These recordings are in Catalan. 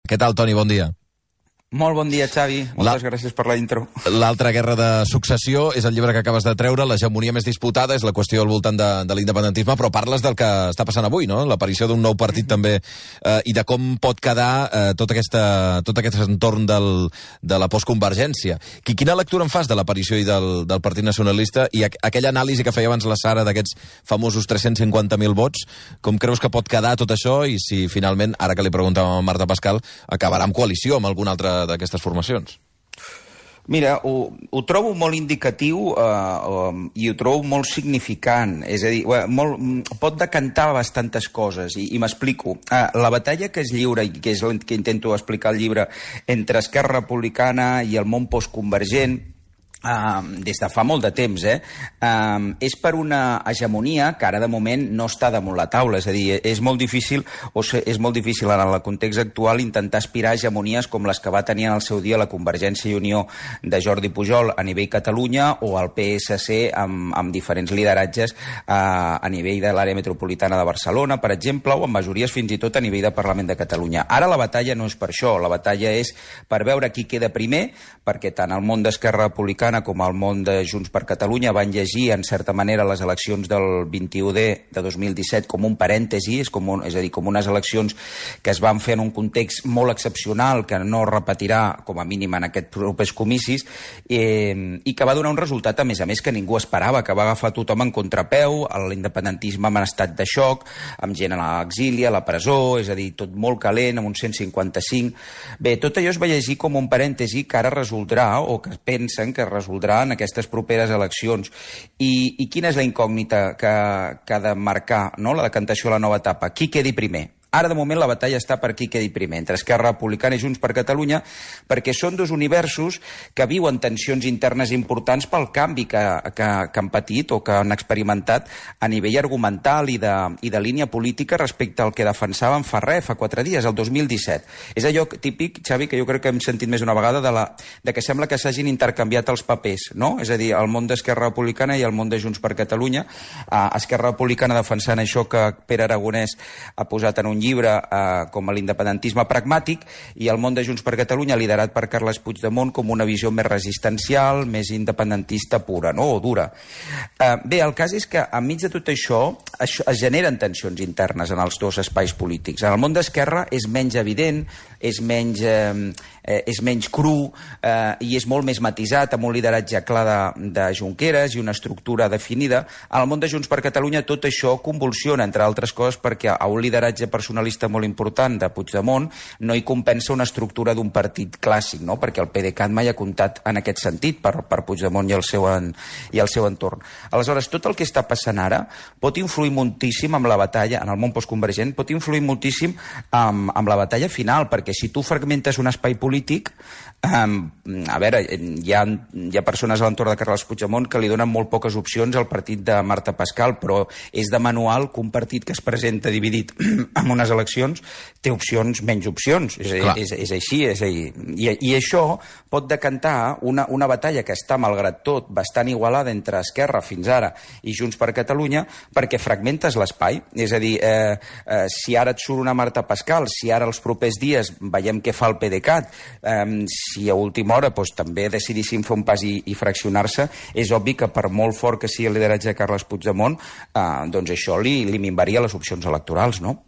Què tal, Toni? Bon dia. Molt bon dia, Xavi. Moltes gràcies per la intro. L'altra guerra de successió és el llibre que acabes de treure, l'hegemonia més disputada, és la qüestió al voltant de l'independentisme, però parles del que està passant avui, no? L'aparició d'un nou partit també, i de com pot quedar tot aquest entorn de la postconvergència. Quina lectura en fas de l'aparició i del Partit Nacionalista i aquella anàlisi que feia abans la Sara d'aquests famosos 350.000 vots? Com creus que pot quedar tot això i si finalment, ara que li preguntàvem a Marta Pascal, acabarà en coalició amb alguna altra d'aquestes formacions? Mira, ho trobo molt indicatiu i ho trobo molt significant. És a dir, pot decantar bastantes coses i m'explico. La batalla que es lliura i que és el que intento explicar al llibre entre Esquerra Republicana i el món postconvergent, des de fa molt de temps, és per una hegemonia que ara de moment no està damunt la taula. És a dir, és molt difícil en el context actual intentar aspirar a hegemonies com les que va tenir en el seu dia la Convergència i Unió de Jordi Pujol a nivell Catalunya o el PSC amb diferents lideratges a nivell de l'àrea metropolitana de Barcelona, per exemple, o amb majories fins i tot a nivell de Parlament de Catalunya. Ara la batalla no és per això, la batalla és per veure qui queda primer, perquè tant el món d'Esquerra Republicana com el món de Junts per Catalunya van llegir, en certa manera, les eleccions del 21D de 2017 com un parèntesi, és a dir, com unes eleccions que es van fer en un context molt excepcional, que no repetirà, com a mínim, en aquests propers comicis, i que va donar un resultat, a més, que ningú esperava, que va agafar tothom en contrapeu, l'independentisme en estat de xoc, amb gent a l'exili, a la presó, és a dir, tot molt calent, amb un 155... Bé, tot allò es va llegir com un parèntesi que ara resoldrà, o que pensen que resoldrà en aquestes properes eleccions. I quina és la incògnita que ha de marcar, no?, la decantació a la nova etapa? Qui quedi primer? Ara, de moment, la batalla està per qui quedi primer, entre Esquerra Republicana i Junts per Catalunya, perquè són dos universos que viuen tensions internes importants pel canvi que han patit o que han experimentat a nivell argumental i de línia política respecte al que defensaven fa 4 dies, el 2017. És allò típic, Xavi, que jo crec que hem sentit més d'una vegada, de que sembla que s'hagin intercanviat els papers, no? És a dir, el món d'Esquerra Republicana i el món de Junts per Catalunya. Esquerra Republicana defensant això que Pere Aragonès ha posat en un llibre com a l'independentisme pragmàtic, i el món de Junts per Catalunya liderat per Carles Puigdemont com una visió més resistencial, més independentista pura, no?, o dura. Bé, el cas és que enmig de tot això es generen tensions internes en els dos espais polítics. En el món d'Esquerra és menys evident, és menys cru i és molt més matisat, amb un lideratge clar de Junqueras i una estructura definida. En el món de Junts per Catalunya tot això convulsiona, entre altres coses, perquè a un lideratge personalista molt important de Puigdemont no hi compensa una estructura d'un partit clàssic, no?, perquè el PDeCAT mai ha comptat en aquest sentit per Puigdemont i el seu entorn. Aleshores, tot el que està passant ara pot influir moltíssim amb la batalla, en el món postconvergent, pot influir moltíssim amb la batalla final, perquè si tu fragmentes un espai polític, a veure, hi ha persones a l'entorn de Carles Puigdemont que li donen molt poques opcions al partit de Marta Pascal, però és de manual que un partit que es presenta dividit en unes eleccions té menys opcions. És així. I això pot decantar una batalla que està, malgrat tot, bastant igualada entre Esquerra fins ara i Junts per Catalunya, perquè fragmentes l'espai. És a dir, si ara et surt una Marta Pascal, si ara els propers dies veiem què fa el PDeCAT, si a última hora també decidissin fer un pas i fraccionar-se, és obvi que per molt fort que sigui el lideratge de Carles Puigdemont, doncs això li minvaria les opcions electorals, no?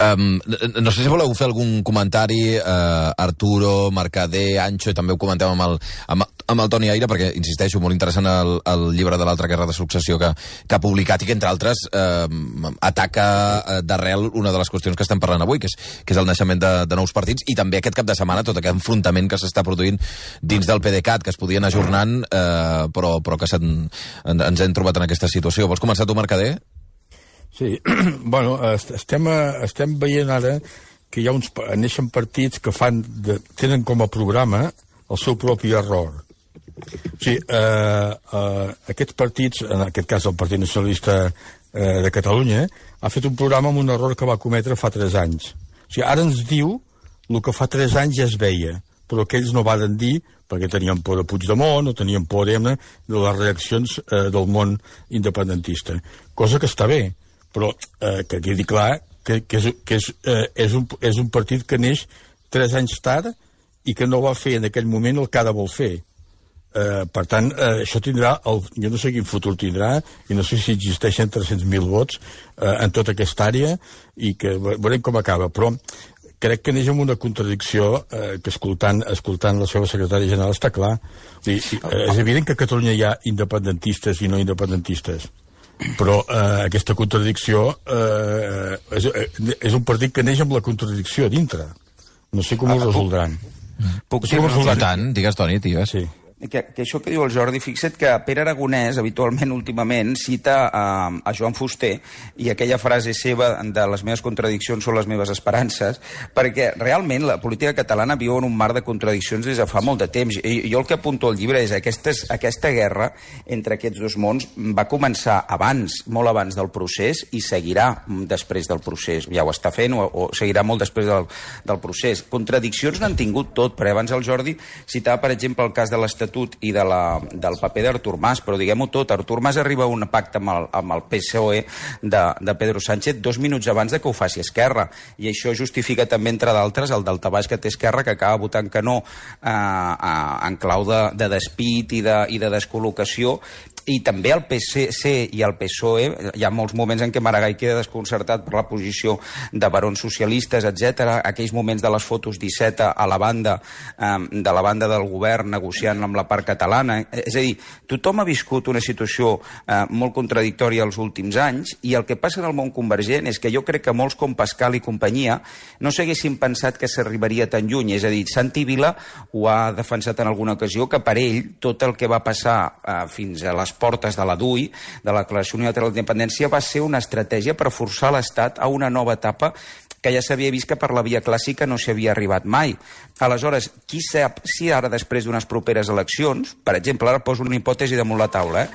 No sé si voleu fer algun comentari, Arturo, Mercader, Ancho, i també ho comentem amb el Toni Aire, perquè, insisteixo, molt interessant el llibre de l'altra guerra de successió que ha publicat i que, entre altres, ataca d'arrel una de les qüestions que estem parlant avui, que és el naixement de nous partits, i també aquest cap de setmana tot aquest enfrontament que s'està produint dins del PDeCAT, que es podien ajornant, però que ens hem trobat en aquesta situació. Vols començar tu, Mercader? Sí, bueno, estem veient ara que neixen partits que tenen com a programa el seu propi error. O sigui, aquests partits, en aquest cas el Partit Nacionalista de Catalunya, ha fet un programa amb un error que va cometre fa 3 anys. O sigui, ara ens diu el que fa 3 anys ja es veia, però que ells no varen dir perquè tenien por de Puigdemont o tenien por de les reaccions del món independentista. Cosa que està bé, però que quedi clar que és un partit que neix 3 anys tard i que no va fer en aquell moment el que ara vol fer. Per tant, això tindrà, jo no sé quin futur tindrà, i no sé si existeixen 300.000 vots en tota aquesta àrea, i que veurem com acaba, però crec que neix amb una contradicció que escoltant la seva secretària general està clar. És evident que a Catalunya hi ha independentistes i no independentistes, però aquesta contradicció és un partit que neix amb la contradicció dintre. No sé com ho resoldran. Puc dir tant, digues, Toni, tio. Sí. Que això que diu el Jordi, fixa't que Pere Aragonès, habitualment, últimament, cita a Joan Fuster i aquella frase seva de les meves contradiccions són les meves esperances, perquè realment la política catalana viu en un mar de contradiccions des de fa molt de temps. Jo el que apunto al llibre és aquesta guerra entre aquests dos mons va començar abans, molt abans del procés, i seguirà després del procés. Ja ho està fent o seguirà molt després del procés. Contradiccions n'han tingut tot, perquè abans el Jordi citava, per exemple, el cas de l'Estatut i del paper d'Artur Mas, però diguem-ho tot, Artur Mas arriba a un pacte amb el PSOE de Pedro Sánchez 2 minuts abans de que ho faci Esquerra, i això justifica també, entre d'altres, el daltabaix que té Esquerra, que acaba votant que no en clau de despit i de descol·locació, i també el PSC i el PSOE, hi ha molts moments en què Maragall queda desconcertat per la posició de barons socialistes, etc. Aquells moments de les fotos d'17 a la banda del govern negociant amb la part catalana. És a dir, tothom ha viscut una situació molt contradictòria els últims anys, i el que passa en el món convergent és que jo crec que molts com Pascal i companyia no s'haguessin pensat que s'arribaria tan lluny. És a dir, Santi Vila ho ha defensat en alguna ocasió, que per ell tot el que va passar fins a les portes de la DUI, de la Declaració Unilateral d'Independència, va ser una estratègia per forçar l'Estat a una nova etapa que ja s'havia vist que per la via clàssica no s'hi havia arribat mai. Aleshores, qui sap si ara, després d'unes properes eleccions, per exemple, ara poso una hipòtesi damunt la taula,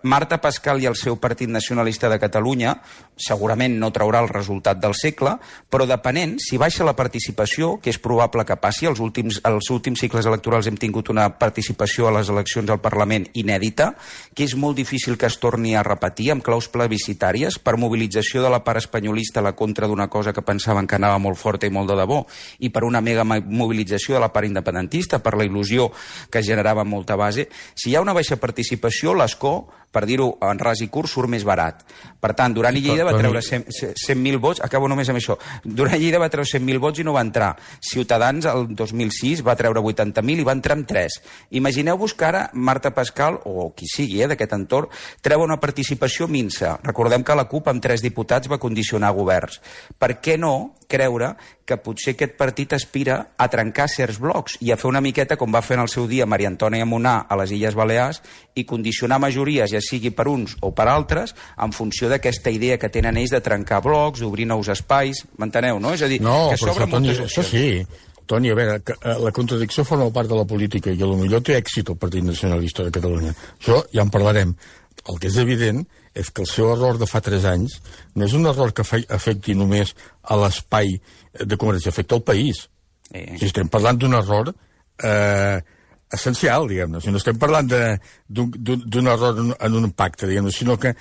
Marta Pascal i el seu Partit Nacionalista de Catalunya segurament no traurà el resultat del segle, però depenent, si baixa la participació, que és probable que passi, els últims cicles electorals hem tingut una participació a les eleccions al Parlament inèdita, que és molt difícil que es torni a repetir amb claus plebiscitàries per mobilització de la part espanyolista a la contra d'una cosa que pensaven que anava molt forta i molt de debò, i per una mega mobilització de la part independentista, per la il·lusió que generava molta base. Si hi ha una baixa participació, l'escó, per dir-ho en ras i curt, surt més barat. Per tant, Duran i Lleida va treure 100.000 vots, acabo només amb això, Duran i Lleida va treure 100.000 vots i no va entrar. Ciutadans, el 2006, va treure 80.000 i va entrar amb 3. Imagineu-vos que ara Marta Pascal, o qui sigui d'aquest entorn, treu una participació minsa. Recordem que la CUP amb 3 diputats va condicionar governs. Per què no creure que potser aquest partit aspira a trencar certs blocs i a fer una miqueta com va fer en el seu dia Maria Antònia Munà a les Illes Balears i condicionar majories, ja sigui per uns o per altres, en funció d'aquesta idea que tenen ells de trencar blocs, d'obrir nous espais, m'enteneu, no? És a dir, que s'obren moltes opcions. Això sí. Toni, a veure, la contradicció forma part de la política i potser té èxit el Partit Nacionalista de Catalunya. Això ja en parlarem. El que és evident és que el seu error de fa 3 anys no és un error que afecti només a l'espai de Convergència, afecta el país. Si estem parlant d'un error essencial, diguem-ne. Si no estem parlant d'un error en un pacte, diguem-ne, sinó que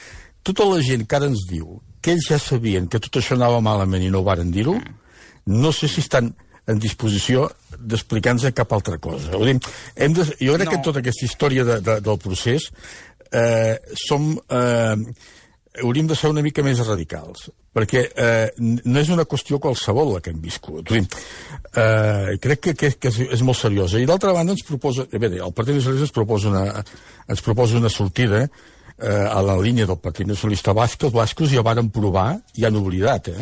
tota la gent que ara ens diu que ells ja sabien que tot això anava malament i no ho varen dir-ho, no sé si estan en disposició d'explicar-nos cap altra cosa. Jo crec que en tota aquesta història del procés hauríem de ser una mica més radicals, perquè no és una qüestió qualsevol la que hem viscut. Crec que és molt seriosa. I d'altra banda ens proposa, el Partit Nacionalista ens proposa una sortida a la línia del Partit Nacionalista basc. Els bascos ja varen provar i han oblidat,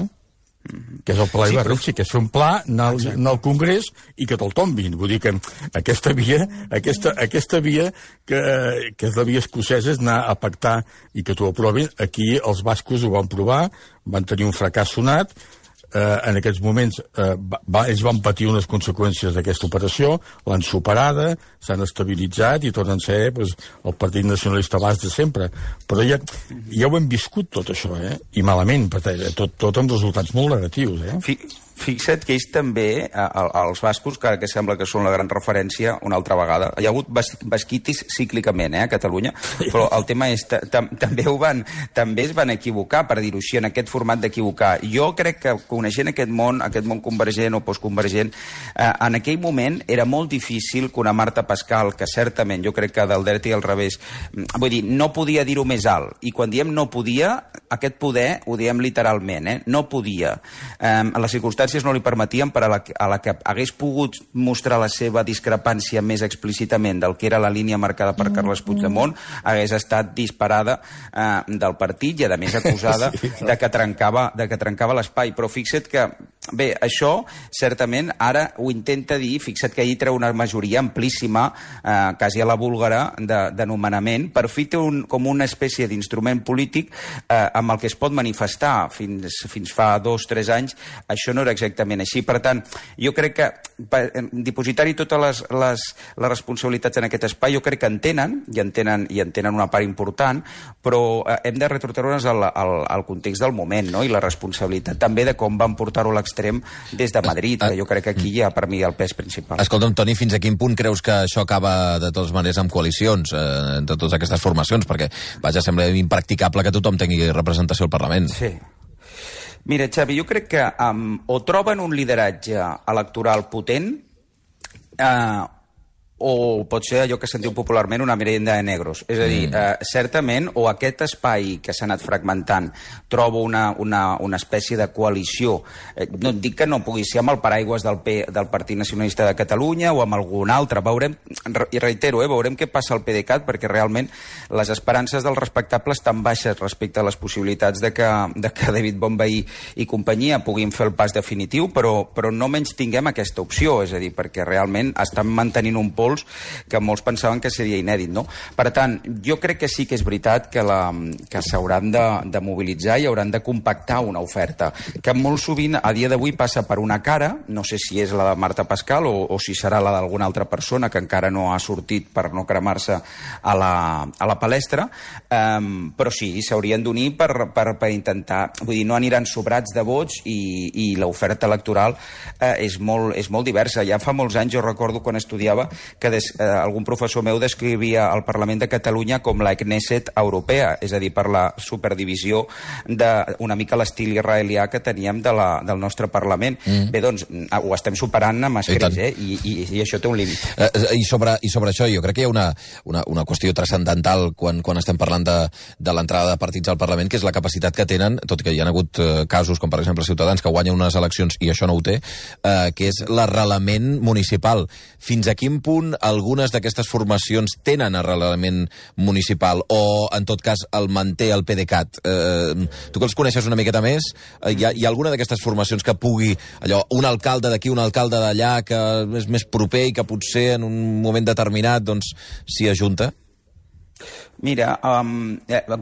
que és el Pla Ibarretxe, que és fer un pla, anar al Congrés i que te'l tombin. Vull dir que aquesta via que és la via escocesa, és anar a pactar i que t'ho aprovin. Aquí els bascos ho van provar, van tenir un fracàs sonat. En aquests moments ells van patir unes conseqüències d'aquesta operació, l'han superada, s'han estabilitzat i tornen a ser el Partit Nacionalista basc de sempre. Però ja ho hem viscut tot això, i malament, tot amb resultats molt negatius. fixa't que ells també, els bascos, que sembla que són la gran referència, una altra vegada, hi ha hagut basquitis cíclicament, a Catalunya, però el tema és, també es van equivocar, per dir-ho així, en aquest format d'equivocar. Jo crec que coneixent aquest món convergent o postconvergent, en aquell moment era molt difícil que una Marta Pascal, que certament jo crec que del dret i al revés, vull dir, no podia dir-ho més alt, i quan diem no podia, aquest poder ho diem literalment, no podia. Les circumstàncies no li permetien, per a la que hagués pogut mostrar la seva discrepància més explícitament del que era la línia marcada per Carles Puigdemont, hagués estat disparada del partit i, a més, acusada de que trencava l'espai. Però fixa't que, bé, això, certament, ara ho intenta dir, fixa't que ahir treu una majoria amplíssima, quasi a la búlgara, de nomenament, per fi té com una espècie d'instrument polític amb el que es pot manifestar. Fins fa 2-3 anys això no era exactament així. Per tant, jo crec que dipositar-hi totes les responsabilitats en aquest espai, jo crec que en tenen una part important, però hem de retrotreure'ns al context del moment, no? I la responsabilitat també de com van portar-ho a l'extrem des de Madrid, que jo crec que aquí hi ha per mi el pes principal. Escolta'm, Toni, fins a quin punt creus que això acaba de totes maneres amb coalicions entre totes aquestes formacions? Perquè, vaja, sembla impracticable que tothom tingui representació al Parlament. Sí. Mira, Xavi, jo crec que o troben un lideratge electoral potent o pot ser allò que sentiu popularment una merienda de negros. És a dir, certament, o aquest espai que s'ha anat fragmentant troba una espècie de coalició. No et dic que no pugui ser amb el paraigües del Partit Nacionalista de Catalunya o amb algun altre. Veurem, i reitero, veurem què passa al PDeCAT, perquè realment les esperances dels respectables estan baixes respecte a les possibilitats de que David Bonvehí i companyia puguin fer el pas definitiu, però no menys tinguem aquesta opció, és a dir, perquè realment estan mantenint un pols que molts pensaven que seria inèdit, no? Per tant, jo crec que sí que és veritat que s'hauran de mobilitzar i hauran de compactar una oferta, que molt sovint a dia d'avui passa per una cara, no sé si és la de Marta Pascal o si serà la d'alguna altra persona que encara no ha sortit per no cremar-se a la palestra, però sí, s'haurien d'unir per intentar, vull dir, no aniran sobrats de vots i l'oferta electoral és molt diversa. Ja fa molts anys, jo recordo quan estudiava, que algun professor meu descrivia el Parlament de Catalunya com la Knesset europea, és a dir, per la superdivisió d'una mica l'estil israelià que teníem del nostre Parlament. Bé, doncs, ho estem superant amb escreix, i això té un límit. I sobre això, jo crec que hi ha una qüestió transcendental quan estem parlant de l'entrada de partits al Parlament, que és la capacitat que tenen, tot i que hi ha hagut casos com, per exemple, Ciutadans, que guanyen unes eleccions i això no ho té, que és l'arrelament municipal. Fins a quin punt algunes d'aquestes formacions tenen arrelament municipal o, en tot cas, el manté el PDeCAT? Tu que els coneixes una miqueta més, hi ha alguna d'aquestes formacions que pugui, allò, un alcalde d'aquí, un alcalde d'allà, que és més proper i que potser en un moment determinat doncs s'hi ajunta? Mira,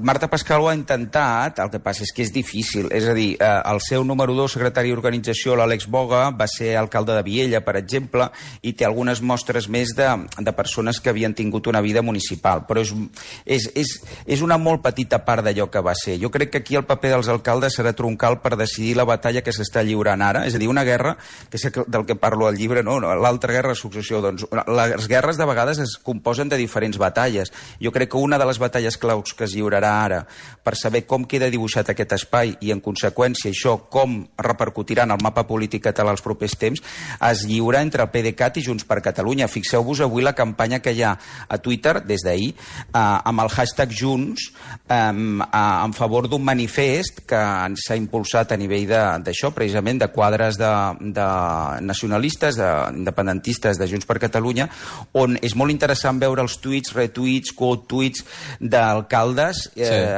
Marta Pascal ho ha intentat, el que passa és que és difícil. És a dir, el seu número 2 secretari d'organització, l'Àlex Boga, va ser alcalde de Viella, per exemple, i té algunes mostres més de persones que havien tingut una vida municipal. Però és una molt petita part d'allò que va ser. Jo crec que aquí el paper dels alcaldes serà troncal per decidir la batalla que s'està lliurant ara. És a dir, una guerra, que és del que parlo al llibre, no? L'altra guerra de successió. Doncs, les guerres de vegades es composen de diferents batalles. Jo crec que una de les batalles claus que es lliurarà ara per saber com queda dibuixat aquest espai i, en conseqüència, això com repercutirà en el mapa polític català els propers temps, es lliura entre el PDeCAT i Junts per Catalunya. Fixeu-vos avui la campanya que hi ha a Twitter, des d'ahir, amb el hashtag Junts, en favor d'un manifest que s'ha impulsat a nivell d'això, precisament, de quadres de nacionalistes, independentistes de Junts per Catalunya, on és molt interessant veure els tuits, retuits, quote-tuits d'alcaldes,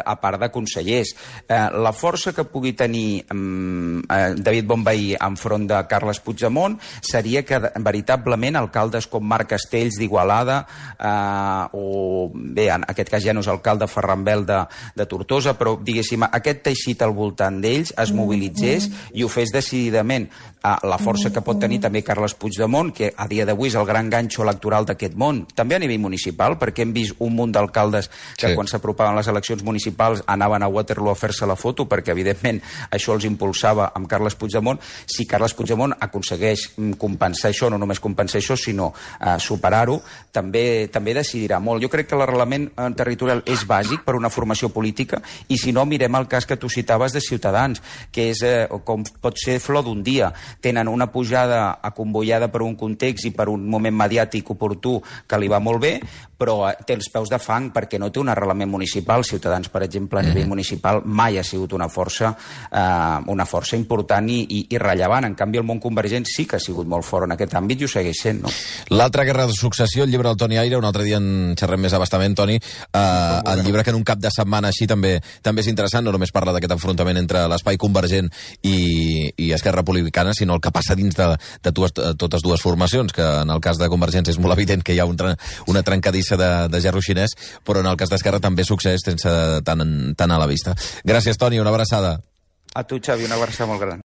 a part de consellers. La força que pugui tenir David Bonvehí enfront de Carles Puigdemont seria que, veritablement, alcaldes com Marc Castells d'Igualada, o, bé, en aquest cas ja no és alcalde, Ferran Bel de Tortosa, però, diguéssim, aquest teixit al voltant d'ells es mobilitzés i ho fes decididament. la força que pot tenir també Carles Puigdemont, que a dia d'avui és el gran ganxo electoral d'aquest món, també a nivell municipal, perquè hem vist un munt d'alcaldes que quan s'apropaven les eleccions municipals anaven a Waterloo a fer-se la foto, perquè evidentment això els impulsava amb Carles Puigdemont. Si Carles Puigdemont aconsegueix compensar això, no només compensar això, sinó superar-ho, també decidirà molt. Jo crec que l'arrelament territorial és bàsic per una formació política, i si no, mirem el cas que tu citaves de Ciutadans, que és com pot ser flor d'un dia. Tenen una pujada acomboiada per un context i per un moment mediàtic oportú que li va molt bé, però té els peus de fang perquè no té un arrelament municipal. Ciutadans, per exemple, a nivell municipal mai ha sigut una força important i rellevant. En canvi, el món convergent sí que ha sigut molt fort en aquest àmbit i ho segueix sent, no? L'altra guerra de successió, el llibre del Toni Aire, un altre dia en xerrem més abastament, Toni, el llibre que en un cap de setmana així també és interessant, no només parla d'aquest enfrontament entre l'espai convergent i Esquerra Republicana, sinó el que passa dins de totes dues formacions, que en el cas de Convergència és molt evident que hi ha una trencadissa de gerro xinès, però en el cas d'Esquerra també succeeix sense tant a la vista. Gràcies, Toni, una abraçada. A tu, Xavi, una abraçada molt gran.